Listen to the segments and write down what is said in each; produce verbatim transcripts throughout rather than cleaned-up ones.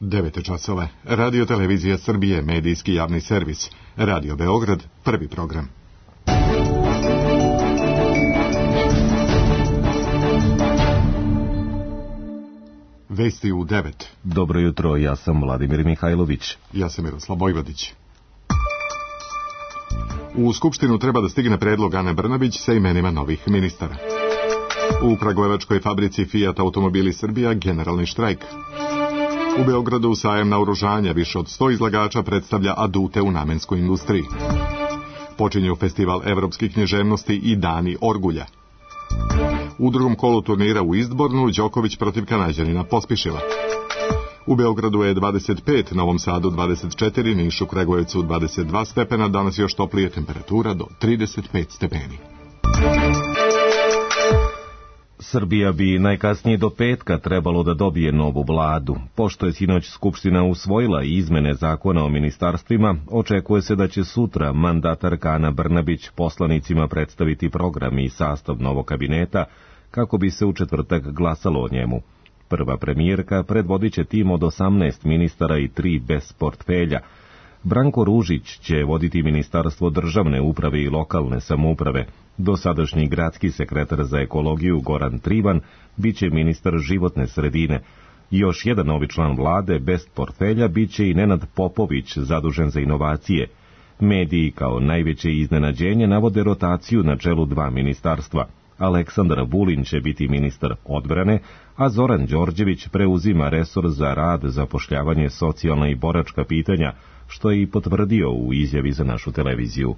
devet časova. Radio Televizija Srbije, medijski javni servis. Radio Beograd, prvi program. Vesti u devet. Dobro jutro, ja sam Vladimir Mihajlović. Ja sam Miroslav Vojvodić. U Skupštinu treba da stigne predlog Ane Brnabić sa imenima novih ministara. U Kragujevačkoj fabrici Fiat Automobili Srbija generalni štrajk. U Beogradu sajam naoružanja, više od sto izlagača predstavlja adute u namenskoj industriji. Počinju festival evropskih književnosti i Dani Orgulja. U drugom kolu turnira u Istbornu Đoković protiv Kanađanina Pospišila. U Beogradu je dvadeset pet, Novom Sadu dvadeset četiri, Nišu, Kragujevcu dvadeset dva stepena, danas još toplije, temperatura do trideset pet stepeni. Srbija bi najkasnije do petka trebalo da dobije novu vladu. Pošto je sinoć Skupština usvojila izmene zakona o ministarstvima, očekuje se da će sutra mandatarka Ana Brnabić poslanicima predstaviti program i sastav novog kabineta, kako bi se u četvrtak glasalo o njemu. Prva premijerka predvodit će tim od osamnaest ministara i tri bez portfelja. Branko Ružić će voditi Ministarstvo državne uprave i lokalne samouprave. Dosadašnji gradski sekretar za ekologiju Goran Trivan biće ministar životne sredine. Još jedan novi član vlade bez portfelja biće i Nenad Popović, zadužen za inovacije. Mediji kao najveće iznenađenje navode rotaciju na čelu dva ministarstva. Aleksandar Vulin će biti ministar odbrane, a Zoran Đorđević preuzima resor za rad, zapošljavanje, socijalna i boračka pitanja, što je i potvrdio u izjavi za našu televiziju.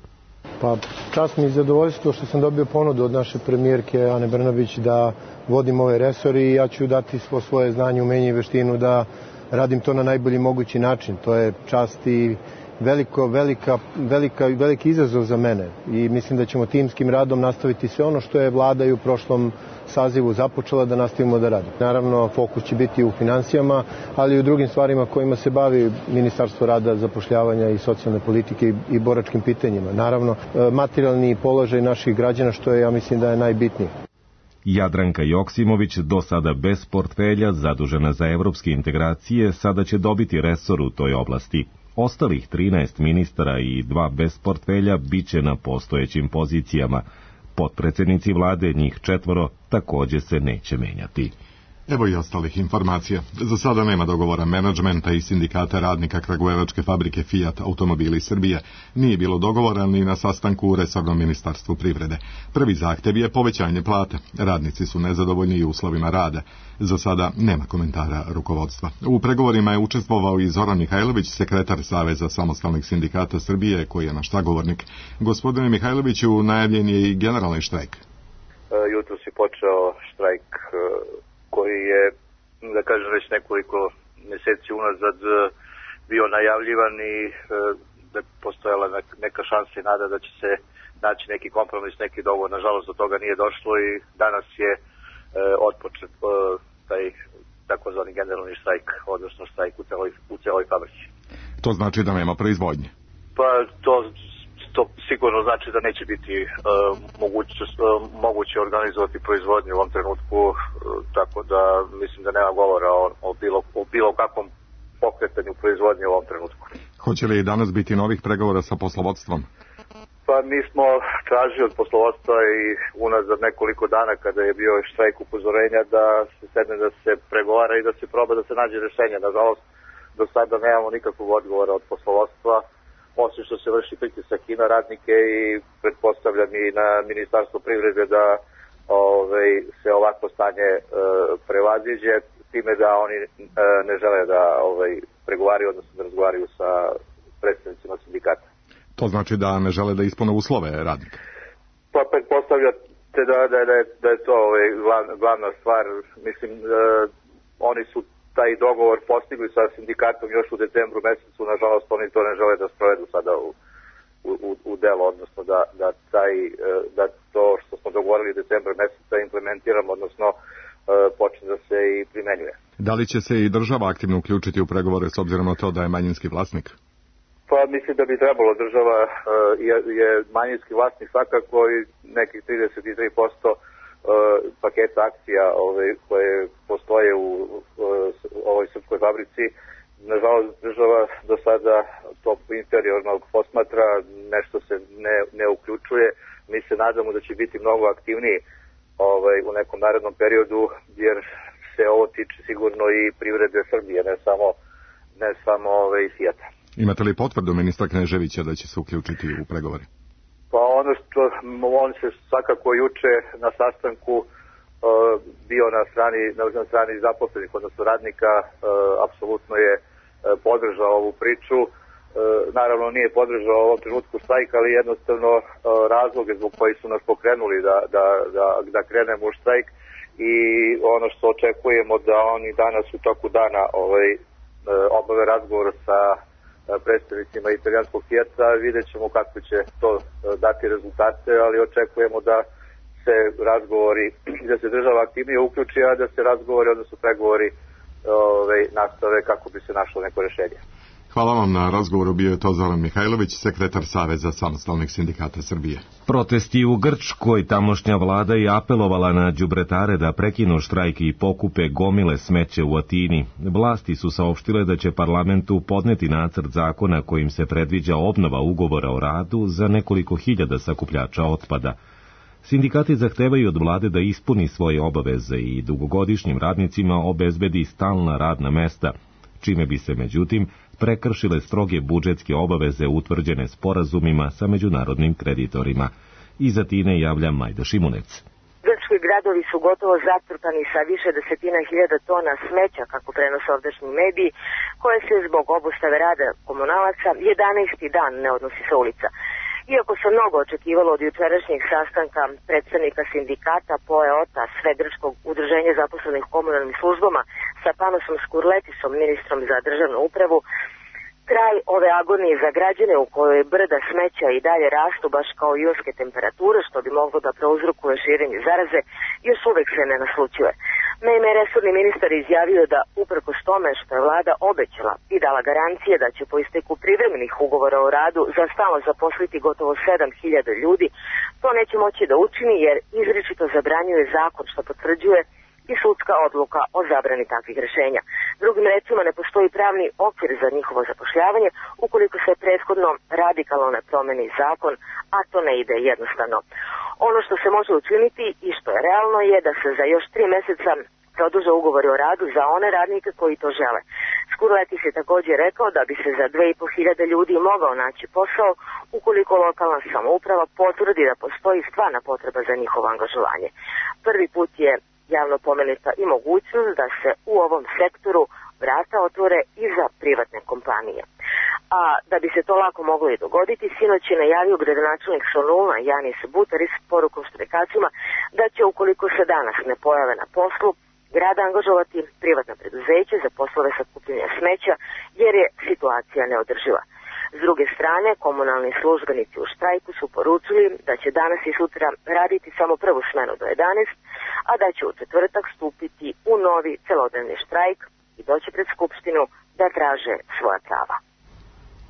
Pa, čast mi i zadovoljstvo što sam dobio ponudu od naše premijerke Ane Brnabić da vodim ovaj resor i ja ću dati svo svoje znanje, umenje i veštinu da radim to na najbolji mogući način. To je čast i veliko, velika, velika, veliki izazov za mene i mislim da ćemo timskim radom nastaviti sve ono što je vlada i u prošlom sazivu započela da nastavimo da radimo. Naravno, fokus će biti u finansijama, ali i u drugim stvarima kojima se bavi Ministarstvo rada, zapošljavanja i socijalne politike i boračkim pitanjima. Naravno, materijalni položaj naših građana, što je, ja mislim, da je najbitnije. Jadranka Joksimović, do sada bez portfelja, zadužena za evropske integracije, sada će dobiti resor u toj oblasti. Ostalih trinaest ministara i dva bez portfelja biće na postojećim pozicijama. Potpredsednici vlade, njih četvoro, takođe se neće menjati. Evo i ostalih informacija. Za sada nema dogovora menadžmenta i sindikata radnika Kragujevačke fabrike Fiat Automobili Srbije. Nije bilo dogovora ni na sastanku u resornom ministarstvu privrede. Prvi zahtev je povećanje plate. Radnici su nezadovoljni i uslovima rada. Za sada nema komentara rukovodstva. U pregovorima je učestvovao i Zoran Mihajlović, sekretar Saveza samostalnih sindikata Srbije, koji je naš sagovornik. Gospodine Mihajloviću, najavljen je i generalni štrajk. Jutro si počeo štrajk koji je, da kažem, već nekoliko mjeseci unazad bio najavljivan i da je postojala neka šansa i nada da će se naći neki kompromis, neki dogovor. Nažalost, do toga nije došlo i danas je otpočet taj takozvani generalni štrajk, odnosno štrajk u celoj, u celoj fabrici. To znači da nema proizvodnje? Pa to... To sigurno znači da neće biti uh, moguće, uh, moguće organizovati proizvodnju u ovom trenutku, uh, tako da mislim da nema govora o, o, bilo, o bilo kakvom pokretanju proizvodnje u ovom trenutku. Hoće li danas biti novih pregovora sa poslovodstvom? Pa mi smo tražili od poslovodstva i unazad nekoliko dana kada je bio štrajk upozorenja da se sedne, da se pregovara i da se proba da se nađe rješenje. Nažalost, do sada nemamo nikakvog odgovora od poslovodstva, osim što se vrši pritisak i na radnike i pretpostavljam i na Ministarstvo privrede da ove, se ovakvo stanje e, prevaziđe, time da oni e, ne žele da ove, pregovaraju, odnosno da razgovaraju sa predstavnicima sindikata. To znači da ne žele da ispune uslove radnika? Pa pretpostavljate da, da, da, je, da je to ove, glavna, glavna stvar. Mislim, e, oni su taj dogovor postigli sa sindikatom još u decembru mesecu, nažalost oni to ne žele da sprovedu sada u, u, u delo, odnosno da, da, taj, da to što smo dogovorili decembra meseca implementiramo, odnosno počne da se i primenjuje. Da li će se i država aktivno uključiti u pregovore s obzirom na to da je manjinski vlasnik? Pa mislim da bi trebalo. Država je, je manjinski vlasnik svakako i nekih trideset tri posto paketa akcija ove, koje postoje u ovoj srpskoj fabrici nažalost, država do sada to interiornog posmatra, nešto se ne, ne uključuje. Mi se nadamo da će biti mnogo aktivniji ovaj, u nekom narednom periodu, jer se ovo tiče sigurno i privrede Srbije, ne samo, ne samo ovaj, Fijata. Imate li potvrdu ministra Kneževića da će se uključiti u pregovore? Pa ono što on se svakako juče na sastanku uh, bio na strani, na, na strani zaposlenih, odnosno radnika, uh, apsolutno je uh, podržao ovu priču. Uh, naravno nije podržao u ovom trenutku štrajk, ali jednostavno uh, razloge zbog koji su nas pokrenuli da, da, da, da krenemo u štrajk i ono što očekujemo da oni danas u toku dana ovaj, uh, obave razgovor sa predstavnicima italijanskog Fijata, vidjet ćemo kako će to dati rezultate, ali očekujemo da se razgovori, da se država aktivnije uključi, a da se razgovori, odnosno pregovori ove, nastave kako bi se našlo neko rješenje. Hvala vam na razgovoru, bio je to Zoran Mihajlović, sekretar Saveza samostalnih sindikata Srbije. Protesti u Grčkoj, tamošnja vlada je apelovala na đubretare da prekinu štrajk i pokupe gomile smeće u Atini. Vlasti su saopštile da će parlamentu podneti nacrt zakona kojim se predviđa obnova ugovora o radu za nekoliko hiljada sakupljača otpada. Sindikati zahtevaju od vlade da ispuni svoje obaveze i dugogodišnjim radnicima obezbedi stalna radna mesta, čime bi se, međutim, prekršile stroge budžetske obaveze utvrđene sporazumima sa međunarodnim kreditorima. Iz Atine javlja Majda Šimunec. Grčki gradovi su gotovo zatrpani sa više desetina hiljada tona smeća, kako prenose ovdašnji mediji, koje se zbog obustave rada komunalaca jedanaesti dan ne odnosi sa ulica. Iako se mnogo očekivalo od jučerašnjeg sastanka predstavnika sindikata P O E O T A, sve grčkog udruženja zaposlenih komunalnim službama, sa Panosom Skurletisom, ministrom za državnu upravu, kraj ove agonije za građane u kojoj brda smeća i dalje rastu baš kao junske temperature, što bi moglo da prouzrokuje širenje zaraze, još uvek se ne naslućuje. Naime, resorni ministar izjavio da, uprkos tome što je vlada obećala i dala garancije da će po isteku privremenih ugovora o radu za stalno zaposliti gotovo sedam hiljada ljudi, to neće moći da učini jer izričito zabranjuje zakon što potvrđuje i sudska odluka o zabrani takvih rešenja. Drugim rečima, ne postoji pravni okvir za njihovo zapošljavanje ukoliko se prethodno radikalno ne promeni zakon, a to ne ide jednostavno. Ono što se može učiniti i što je realno je da se za još tri meseca produže ugovori o radu za one radnike koji to žele. Skurletis je također rekao da bi se za dve i po hiljade ljudi mogao naći posao ukoliko lokalna samouprava potvrdi da postoji stvarna potreba za njihovo angažovanje. Prvi put je javno pomenuta i mogućnost da se u ovom sektoru vrata otvore i za privatne kompanije. A da bi se to lako moglo i dogoditi, sinoć je najavio gradonačelnik Soluna Janis Butaris porukom štrajkačima da će, ukoliko se danas ne pojave na poslu, grad angažovati privatna preduzeća za poslove sakupljanja smeća, jer je situacija neodrživa. S druge strane, komunalni službenici u štrajku su poručili da će danas i sutra raditi samo prvu smenu do jedanaest, a da će u četvrtak stupiti u novi celodnevni štrajk i doći pred Skupštinu da traže svoja prava.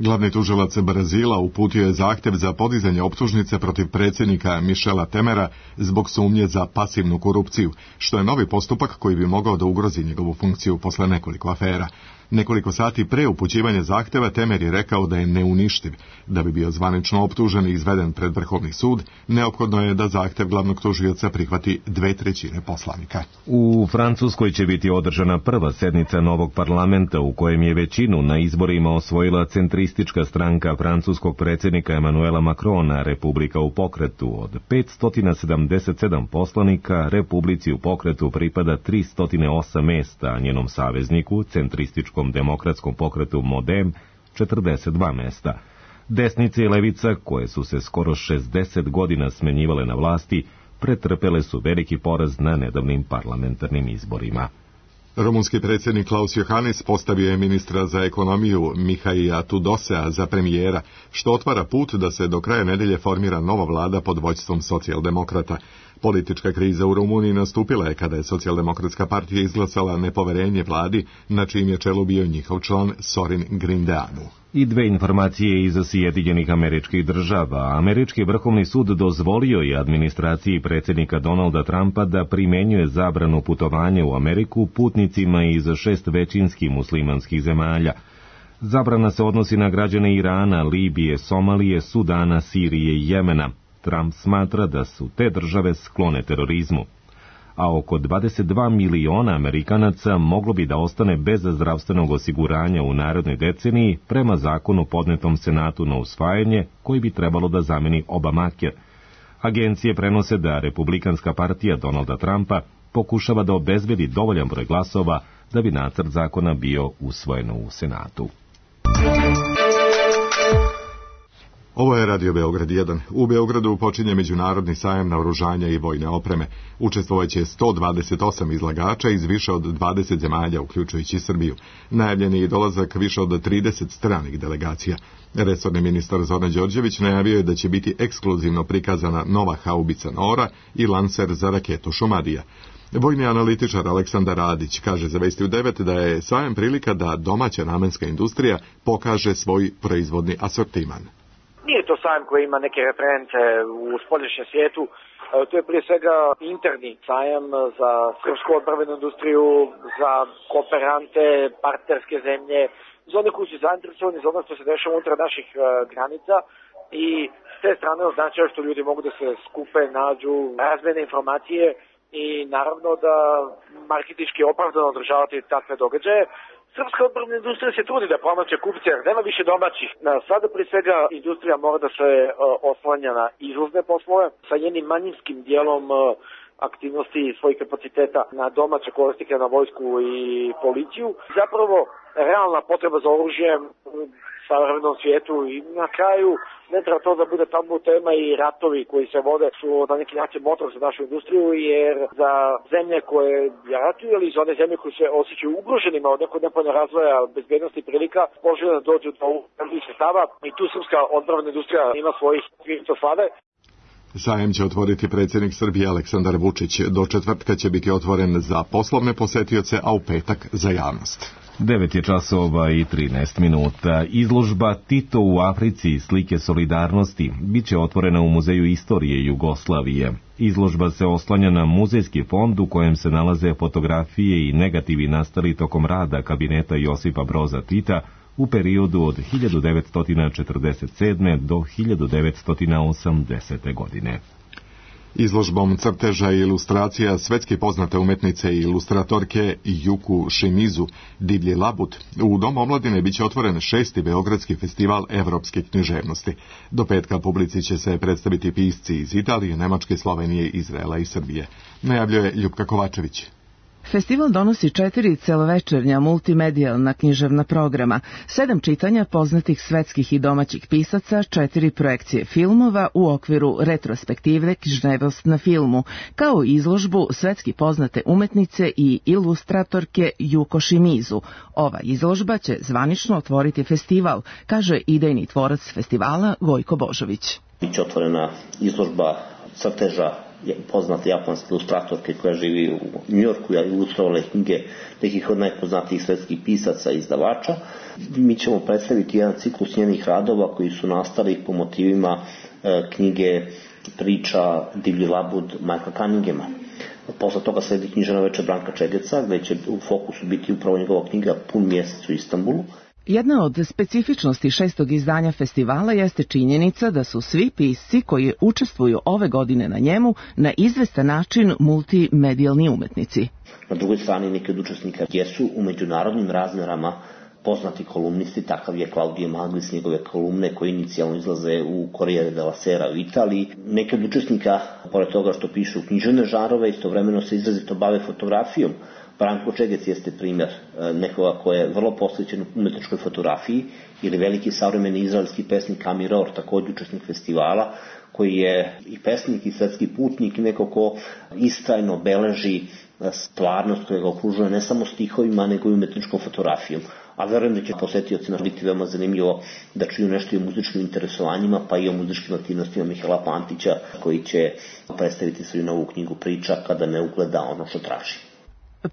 Glavni tužilac Brazila uputio je zahtjev za podizanje optužnice protiv predsjednika Michela Temera zbog sumnje za pasivnu korupciju, što je novi postupak koji bi mogao da ugrozi njegovu funkciju posle nekoliko afera. Nekoliko sati pre upućivanja zahtjeva Temer je rekao da je neuništiv. Da bi bio zvanično optužen i izveden pred Vrhovni sud, neophodno je da zahtjev glavnog tužioca prihvati dve trećine poslanika. U Francuskoj će biti održana prva sednica novog parlamenta u kojem je većinu na izborima osvojila centristička stranka francuskog predsjednika Emanuela Macrona, Republika u pokretu. Od petsto sedamdeset sedam poslanika, Republici u pokretu pripada tristo osam mesta, a njenom savezniku, centrističkom demokratskom pokretu Modem, četrdeset dva mesta. Desnica i levica, koje su se skoro šezdeset godina smenjivale na vlasti, pretrpele su veliki poraz na nedavnim parlamentarnim izborima. Rumunski predsjednik Klaus Johannes postavio je ministra za ekonomiju Mihaila Tudosea za premijera, što otvara put da se do kraja nedelje formira nova vlada pod vođstvom socijaldemokrata. Politička kriza u Rumuniji nastupila je kada je Socijaldemokratska partija izglasala nepoverenje vladi, na čijim je čelu bio njihov član Sorin Grindeanu. I dve informacije iz Sjedinjenih Američkih Država. Američki vrhovni sud dozvolio je administraciji predsjednika Donalda Trumpa da primenjuje zabranu putovanja u Ameriku putnicima iz šest većinskih muslimanskih zemalja. Zabrana se odnosi na građane Irana, Libije, Somalije, Sudana, Sirije i Jemena. Trump smatra da su te države sklone terorizmu. A oko dvadeset dva miliona Amerikanaca moglo bi da ostane bez zdravstvenog osiguranja u narednoj deceniji prema zakonu podnetom Senatu na usvajanje, koji bi trebalo da zameni Obamacare. Agencije prenose da Republikanska partija Donalda Trumpa pokušava da obezbedi dovoljan broj glasova da bi nacrt zakona bio usvojen u Senatu. Ovo je Radio Beograd jedan. U Beogradu počinje međunarodni sajam naoružanja i vojne opreme. Učestvovaće sto dvadeset osam izlagača iz više od dvadeset zemalja, uključujući Srbiju. Najavljen je i dolazak više od trideset stranih delegacija. Resorni ministar Zoran Đorđević najavio je da će biti ekskluzivno prikazana nova haubica Nora i lancer za raketu Šumadija. Vojni analitičar Aleksandar Radić kaže za Vesti u devet da je sajam prilika da domaća namenska industrija pokaže svoj proizvodni asortiman. Nije to sajam koji ima neke reference u spoljašnjem svijetu, to je prije svega interni sajam za srpsku odbrambenu industriju, za kooperante, partnerske zemlje, za one koji su zainteresovani za ono što se dešava unutar naših granica i s te strane označava što ljudi mogu da se skupe, nađu, razmene informacije i naravno da marketinški opravdano održavati takve događaje. Srpska odbrambena industrija se trudi da pronađe kupce, jer nema više domaćih. Sada prije svega industrija mora da se oslanja na izvozne poslove sa jednim manjinskim dijelom aktivnosti svojih kapaciteta na domaće korisnike, na vojsku i policiju. Zapravo, realna potreba za oružjem u savremenom svijetu i na kraju ne treba to da bude tabu tema i ratovi koji se vode su na neki način motor za našu industriju, jer za zemlje koje ratuju ili za one zemlje koje se osjećaju ugroženima od nekog nepovoljnog razvoja bezbednosti i prilika, poželjno da dođu do ovih sredstava i tu srpska odbrambena industrija ima svojih krivica slave. Sajem će otvoriti predsjednik Srbije Aleksandar Vučić. Do četvrtka će biti otvoren za poslovne posetioce, a u petak za javnost. devet je časova i trinaest minuta. Izložba Tito u Africi, slike solidarnosti, bit će otvorena u Muzeju istorije Jugoslavije. Izložba se oslanja na muzejski fond u kojem se nalaze fotografije i negativi nastali tokom rada kabineta Josipa Broza Tita u periodu od hiljadu devetsto četrdeset sedme do hiljadu devetsto osamdesete godine. Izložbom crteža i ilustracija svetski poznate umetnice i ilustratorke Juku Šimizu Divlji labud u Domu omladine biće otvoren šesti Beogradski festival evropske književnosti. Do petka publici će se predstaviti pisci iz Italije, Nemačke, Slovenije, Izraela i Srbije. Najavljuje Ljupka Kovačević. Festival donosi četiri celovečernja multimedijalna književna programa, sedam čitanja poznatih svetskih i domaćih pisaca, četiri projekcije filmova u okviru retrospektive Književnost na filmu, kao i izložbu svetski poznate umetnice i ilustratorke Juko Šimizu. Ova izložba će zvanično otvoriti festival, kaže idejni tvorac festivala Gojko Božović. Biće otvorena izložba crteža poznate japanske ilustratorke koja živi u Njujorku, ja ilustrovala knjige nekih od najpoznatijih svetskih pisaca i izdavača. Mi ćemo predstaviti jedan ciklus njenih radova koji su nastali po motivima e, knjige priča Divlji labud Michaela Cunningema. Posle toga sledi književna večer Branka Čegeca, gde će u fokusu biti upravo njegova knjiga Pun mjesec u Istanbulu. Jedna od specifičnosti šestog izdanja festivala jeste činjenica da su svi pisci koji učestvuju ove godine na njemu na izvestan način multimedijalni umetnici. Na drugoj strani neki od učesnika jesu u međunarodnim razmerama poznati kolumnisti, takav je Claudio Maglis, njegove kolumne koje inicijalno izlaze u Corriere della Sera u Italiji. Neki od učesnika, pored toga što pišu književne žanrove, istovremeno se izrazito bave fotografijom, Branko Čegec jeste primjer nekoga ko je vrlo posvećen umetničkoj fotografiji, ili veliki savremeni izraelski pesnik Amir Or, također učesnik festivala, koji je i pesnik i svetski putnik, neko ko istrajno beleži stvarnost koja ga okružuje ne samo stihovima, nego i umetničkom fotografijom. A verujem da će posetiocima biti veoma zanimljivo da čuju nešto i o muzičkim interesovanjima, pa i o muzičkim aktivnostima Mihajla Pantića, koji će predstaviti svoju novu knjigu priča Kada ne ugleda ono što traži.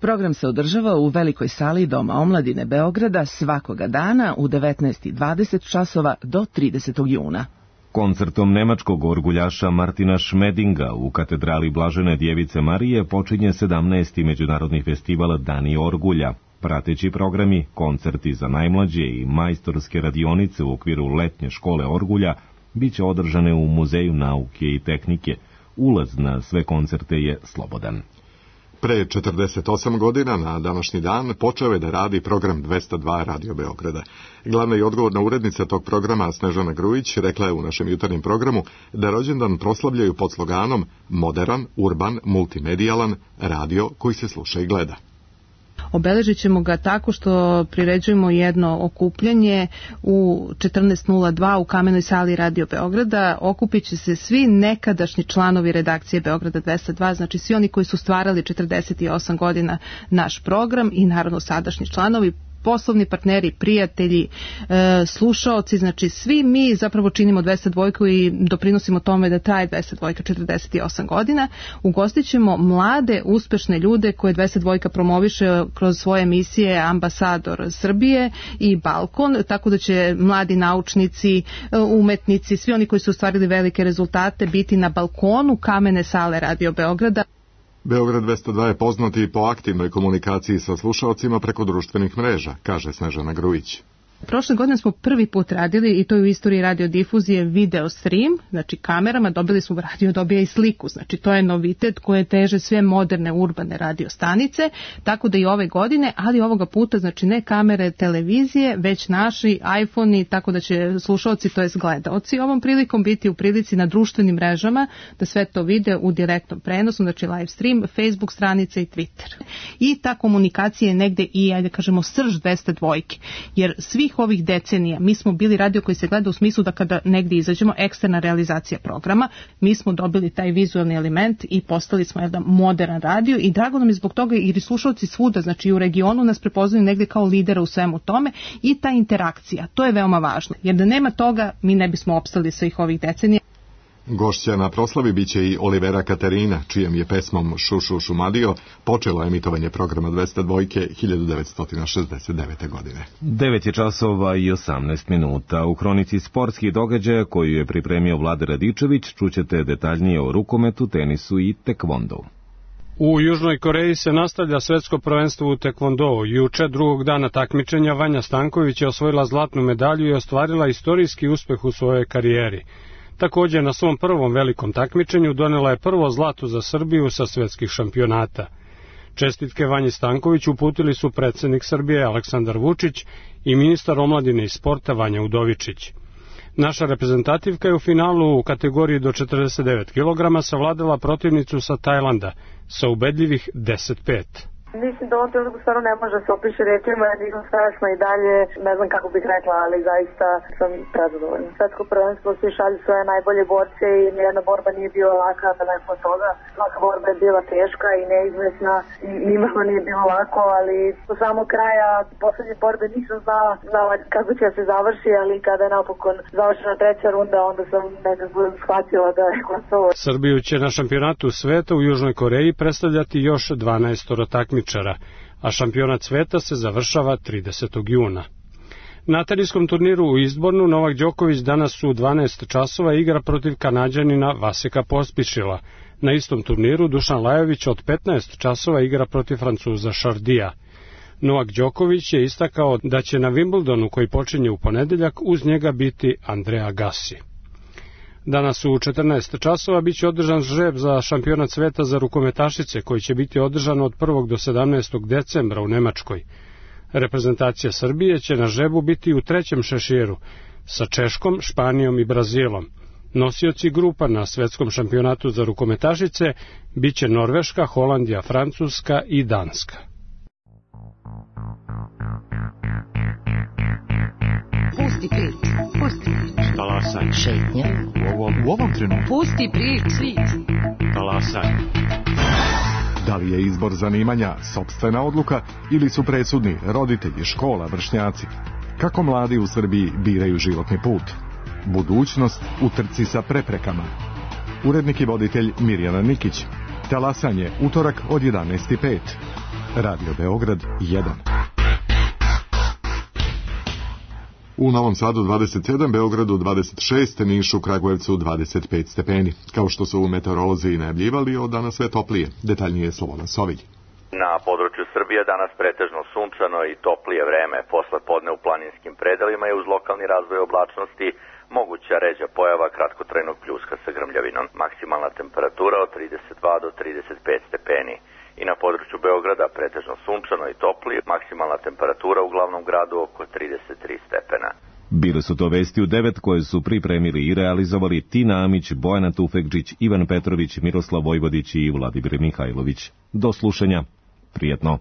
Program se održava u velikoj sali Doma omladine Beograda svakoga dana u devetnaest i dvadeset časova do tridesetog juna. Koncertom nemačkog orguljaša Martina Šmedinga u katedrali Blažene Djevice Marije počinje sedamnaesti međunarodni festival Dani orgulja. Prateći programi, koncerti za najmlađe i majstorske radionice u okviru letnje škole orgulja bit će održane u Muzeju nauke i tehnike. Ulaz na sve koncerte je slobodan. Pre četrdeset osam godina na današnji dan počeo je da radi program dvesta dva Radio Beograda. Glavna i odgovorna urednica tog programa Snežana Grujić rekla je u našem jutarnjem programu da rođendan proslavljaju pod sloganom moderan, urban, multimedijalan radio koji se sluša i gleda. Obeležit ćemo ga tako što priređujemo jedno okupljanje u četrnaest nula dva u Kamenoj sali Radio Beograda. Okupit će se svi nekadašnji članovi redakcije Beograda dvesta dva, znači svi oni koji su stvarali četrdeset osam godina naš program i naravno sadašnji članovi, poslovni partneri, prijatelji, e, slušaoci, znači svi mi zapravo činimo dvesta dva i doprinosimo tome da traje dvesta dva četrdeset osam godina. Ugostit ćemo mlade, uspešne ljude koje dvesta dva promoviše kroz svoje emisije Ambasador Srbije i Balkon, tako da će mladi naučnici, umetnici, svi oni koji su ostvarili velike rezultate biti na balkonu Kamene sale Radio Beograda. Beograd dvesta dva je poznat i po aktivnoj komunikaciji sa slušaocima preko društvenih mreža, kaže Snežana Grujić. Prošle godine smo prvi put radili, i to je u istoriji radiodifuzije, video stream, znači kamerama, dobili smo, radio dobija i sliku, znači to je novitet koje teže sve moderne urbane radiostanice, tako da i ove godine, ali ovoga puta, znači ne kamere televizije, već naši iPhone-i, tako da će slušalci, to jest gledaoci, ovom prilikom biti u prilici na društvenim mrežama da sve to vide u direktnom prenosu, znači live stream, Facebook stranice i Twitter. I ta komunikacija je negde i, ajde kažemo, srž dvesta dva, jer svi ovih decenija mi smo bili radio koji se gleda u smislu da kada negdje izađemo, eksterna realizacija programa, mi smo dobili taj vizualni element i postali smo jedan modern radio i drago nam je zbog toga jer slušalci svuda, znači i u regionu nas prepoznaju negdje kao lidera u svemu tome i ta interakcija, to je veoma važno, jer da nema toga mi ne bismo opstali svih ovih decenija. Gošća na proslavi biće i Olivera Katerina, čijem je pesmom Šušu Šumadio počelo emitovanje programa dvesta dva hiljadu devetsto šezdeset devete. godine. devet je časova i osamnaest minuta. U kronici sportskih događaja koju je pripremio Vlada Radičević čućete detaljnije o rukometu, tenisu i tekvondou. U Južnoj Koreji se nastavlja svetsko prvenstvo u tekvondou. Juče, drugog dana takmičenja, Vanja Stanković je osvojila zlatnu medalju i ostvarila istorijski uspeh u svojoj karijeri. Također, na svom prvom velikom takmičenju donela je prvo zlato za Srbiju sa svetskih šampionata. Čestitke Vanji Stanković uputili su predsjednik Srbije Aleksandar Vučić i ministar omladine i sporta Vanja Udovičić. Naša reprezentativka je u finalu u kategoriji do četrdeset devet kilograma savladala protivnicu sa Tajlanda sa ubedljivih deset pet. Mislim da ovom trenutku stvarno ne može se opiše rečima, ja nisam strašno i dalje, ne znam kako bih rekla, ali zaista sam prezadovoljna. Svetsko prvenstvo svi šalju svoje najbolje borce i nijedna borba nije bila laka, daleko od toga. Svaka borba je bila teška i neizvesna i nimalo nije bilo lako, ali do samog kraja poslednje borbe nisam znala, znala kako će se završi, ali kada je napokon završena treća runda, onda sam nekako shvatila da je gotovo. Srbiju će na šampionatu sveta u Južnoj Koreji predstavljati još dvanaest takmičara, a šampionat sveta se završava tridesetog juna. Na teniskom turniru u Izbornu Novak Đoković danas u dvanaest časova igra protiv Kanađanina Vaseka Pospišila. Na istom turniru Dušan Lajović od petnaest časova igra protiv Francuza Šardija. Novak Đoković je istakao da će na Wimbledonu koji počinje u ponedeljak uz njega biti Andrea Agassi. Danas u četrnaest časova biće održan žreb za šampionat sveta za rukometašice koji će biti održan od prvog do sedamnaestog decembra u Nemačkoj. Reprezentacija Srbije će na žrebu biti u trećem šeširu sa Češkom, Španijom i Brazilom. Nosioci grupa na svetskom šampionatu za rukometašice biće Norveška, Holandija, Francuska i Danska. Šetnja. U ovom, u ovom trenutku. Pusti priči. Talasaj. Da li je izbor zanimanja sopstvena odluka ili su presudni roditelji, škola, vršnjaci? Kako mladi u Srbiji biraju životni put? Budućnost u trci sa preprekama. Urednik i voditelj Mirjana Nikić. Talasanje, utorak od jedanaest i pet. Radio Beograd jedan. U Novom Sadu dvadeset sedam, Beogradu dvadeset šest, Nišu, Kragujevcu dvadeset pet stepeni. Kao što su meteorolozi najavljivali, od danas sve toplije. Detaljnije Slobodan Sovilj. Na području Srbije danas pretežno sunčano i toplije vreme. Posle podne u planinskim predelima je uz lokalni razvoj oblačnosti moguća ređa pojava kratkotrajnog pljuska sa grmljavinom. Maksimalna temperatura od trideset dva do trideset pet stepeni. I na području Beograda pretežno sunčano i toplije, maksimalna temperatura u glavnom gradu oko trideset tri stepena. Bile su to vesti u devet koje su pripremili i realizovali Tina Amić, Bojana Tufekđić, Ivan Petrović, Miroslav Vojvodić i Vladimir Mihajlović. Do slušanja. Prijetno.